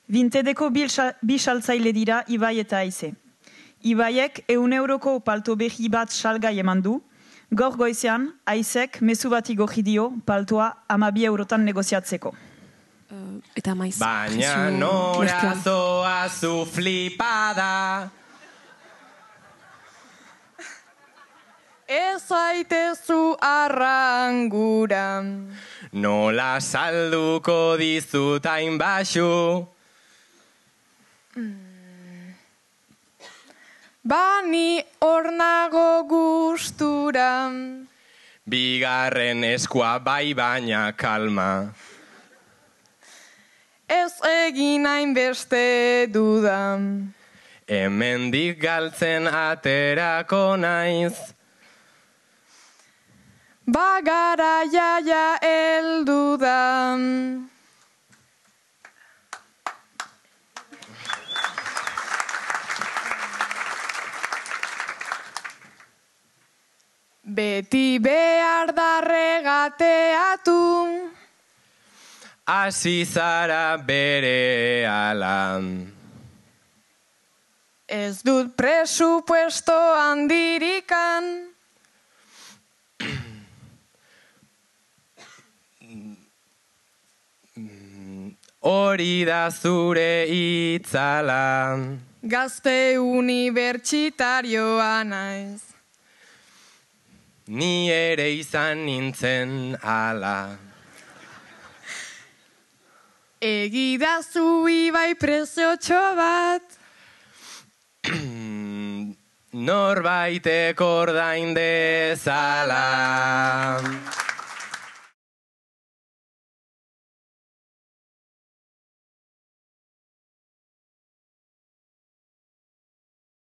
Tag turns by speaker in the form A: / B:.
A: Vintedeko bi saltzaile dira Ibai eta Aize. Ibaiek 100 euroko palto berri bat salgai eman du, gaur goizean Aizek mezu bat igorri dio paltoa 12 eurotan negoziatzeko.
B: Eta maiz.
C: Baina nora zoa zu flipada.
D: Ez zaitezu arrangura.
C: Nola salduko dizut hain baxu.
D: Bani hor nago gustura.
C: Bigarren eskua bai baina kalma.
D: Ez egin hainbeste duda.
C: Hemendik galtzen aterako naiz.
D: Bagara jaia heldu da. Beti behar da regateatu.
C: Hasi zara bere ala.
D: Ez dut presupuesto handirikan.
C: Hori da zure itzala.
D: Gazte unibertsitarioa naiz.
C: Ni ere izan nintzen ala.
D: Egidazu Ibai preziotxo bat.
C: Norbaitek ordain dezala.